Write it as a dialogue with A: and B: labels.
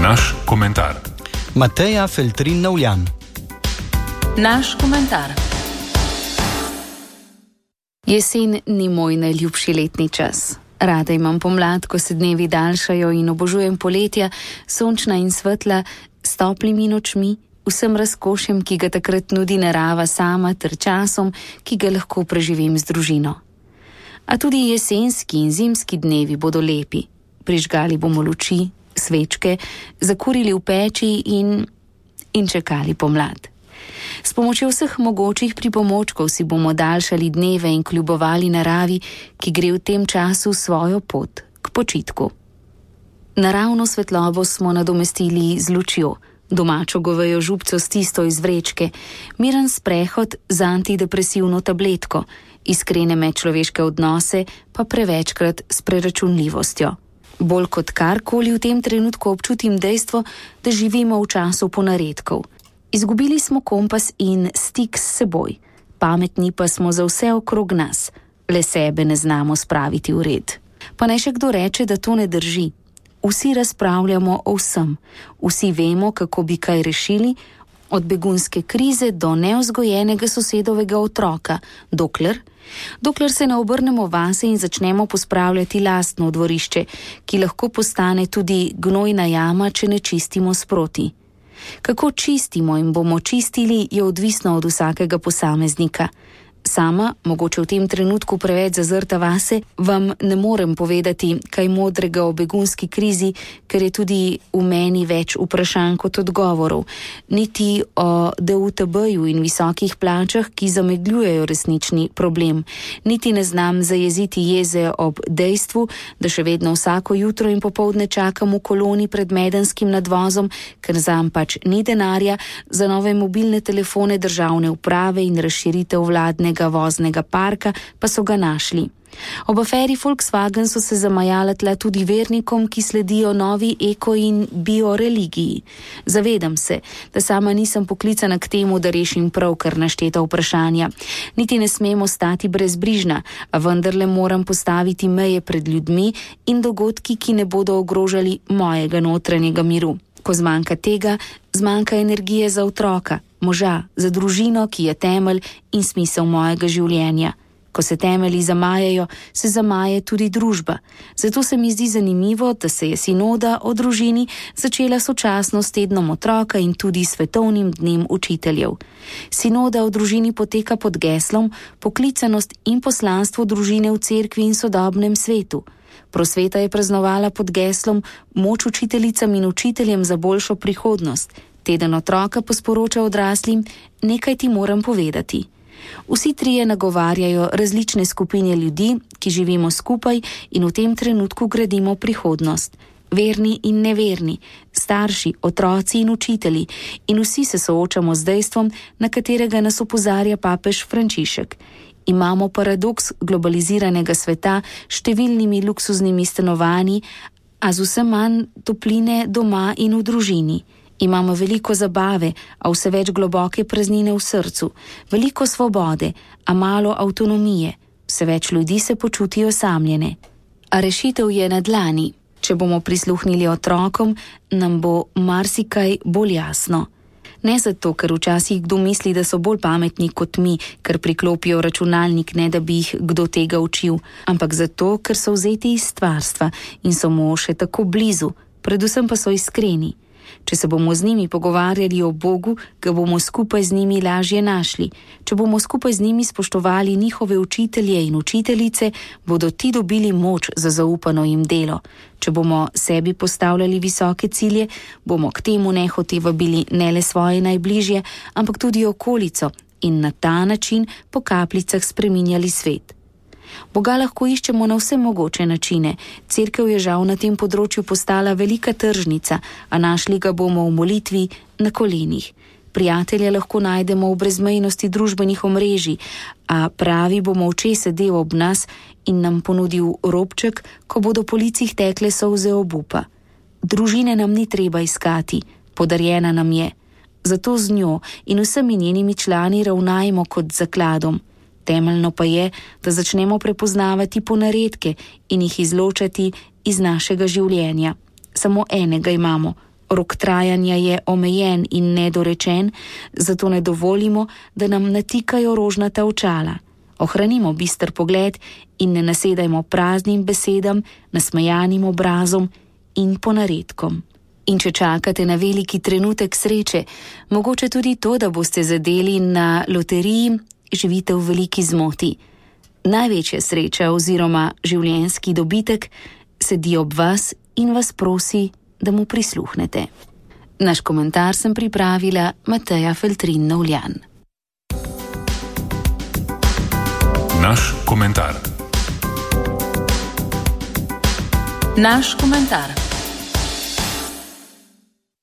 A: Naš komentar.
B: Mateja Feltrin-Navljan.
C: Naš komentar. Jesen ni moj najljubši letni čas. Rada imam pomlad, ko se dnevi daljšajo, in obožujem poletja, sončna in svetla, s toplimi nočmi, vsem razkošjem, ki ga takrat nudi narava sama, ter časom, ki ga lahko preživim z družino. A tudi jesenski in zimski dnevi bodo lepi. Prižgali bomo luči, svečke, zakurili v peči in čakali pomlad. S pomočjo vseh mogočih pripomočkov si bomo daljšali dneve in kljubovali naravi, ki gre v tem času svojo pot k počitku. Naravno svetlobo smo nadomestili z lučjo, domačo govejo župco s tisto iz vrečke, miren sprehod z antidepresivno tabletko, iskrene medčloveške odnose pa prevečkrat s preračunljivostjo. Bolj kot karkoli v tem trenutku občutim dejstvo, da živimo v času ponaredkov. Izgubili smo kompas in stik s seboj, pametni pa smo za vse okrog nas, le sebe ne znamo spraviti v red. Pa naj še kdo reče, da to ne drži. Vsi razpravljamo o vsem, vsi vemo, kako bi kaj rešili, od begunske krize do nevzgojenega sosedovega otroka, dokler se ne obrnemo vase in začnemo pospravljati lastno dvorišče, ki lahko postane tudi gnojna jama, če ne čistimo sproti. Kako čistimo in bomo čistili, je odvisno od vsakega posameznika. Sama, mogoče v tem trenutku preveč zazrta vase, vam ne morem povedati kaj modrega o begunski krizi, ker je tudi v meni več vprašanj kot odgovorov, niti o DUTB-ju in visokih plačah, ki zamegljujejo resnični problem, niti ne znam zajeziti jeze ob dejstvu, da še vedno vsako jutro in popoldne čakam v koloni pred medenskim nadvozom, ker zam pač ni denarja, za nove mobilne telefone državne uprave in razširitev vladne voznega parka pa so ga našli. Ob aferi Volkswagen so se zamajala tla tudi vernikom, ki sledijo novi eko in bio religiji. Zavedam se, da sama nisem poklicana k temu, da rešim pravkar našteta vprašanja. Niti ne smemo stati brezbrižna, a vendarle moram postaviti meje pred ljudmi in dogodki, ki ne bodo ogrožali mojega notranjega miru. Ko zmanjka tega, zmanjka energije za otroka, moža, za družino, ki je temelj in smisel mojega življenja. Ko se temelji zamajajo, se zamaje tudi družba. Zato se mi zdi zanimivo, da se je sinoda o družini začela sočasno s tednom otroka in tudi svetovnim dnem učiteljev. Sinoda o družini poteka pod geslom poklicanost in poslanstvo družine v cerkvi in sodobnem svetu. Prosveta je praznovala pod geslom moč učiteljicam in učiteljem za boljšo prihodnost. Teden otroka pa sporoča odraslim, nekaj ti moram povedati. Vsi trije nagovarjajo različne skupine ljudi, ki živimo skupaj in v tem trenutku gradimo prihodnost. Verni in neverni, starši, otroci in učitelji, in vsi se soočamo z dejstvom, na katerega nas opozarja papež Frančišek. Imamo paradoks globaliziranega sveta s številnimi luksuznimi stanovanji, a z vse manj topline doma in v družini. Imamo veliko zabave, a vse več globoke praznine v srcu, veliko svobode, a malo avtonomije. Vse več ljudi se počutijo osamljene. A rešitev je na dlani. Če bomo prisluhnili otrokom, nam bo marsikaj bolj jasno. Ne zato, ker včasih kdo misli, da so bolj pametni kot mi, ker priklopijo računalnik, ne da bi jih kdo tega učil, ampak zato, ker so vzeti iz stvarstva in so mu še tako blizu, predvsem pa so iskreni. Če se bomo z njimi pogovarjali o Bogu, ga bomo skupaj z njimi lažje našli. Če bomo skupaj z njimi spoštovali njihove učitelje in učiteljice, bodo ti dobili moč za zaupano jim delo. Če bomo sebi postavljali visoke cilje, bomo k temu nehote vabili ne le svoje najbližje, ampak tudi okolico in na ta način po kapljicah spreminjali svet. Boga lahko iščemo na vse mogoče načine. Cerkev je žal na tem področju postala velika tržnica, a našli ga bomo v molitvi na kolenih. Prijatelja lahko najdemo v brezmejnosti družbenih omrežij, a pravi bo molče sedel ob nas in nam ponudil robček, ko bodo po licih tekle solze obupa. Družine nam ni treba iskati, podarjena nam je. Zato z njo in vsemi njenimi člani ravnajmo kot zakladom. Temeljno pa je, da začnemo prepoznavati ponaredke in jih izločati iz našega življenja. Samo enega imamo, Rok trajanja je omejen in nedorečen, zato ne dovolimo, da nam natikajo rožnata očala. Ohranimo bister pogled in ne nasedajmo praznim besedam, nasmejanim obrazom in ponaredkom. In če čakate na veliki trenutek sreče, mogoče tudi to, da boste zadeli na loteriji, živite v veliki zmoti. Največja sreča oziroma življenjski dobitek sedi ob vas in vas prosi, da mu prisluhnete. Naš komentar sem pripravila Mateja Feltrin Novljan.
A: Naš komentar.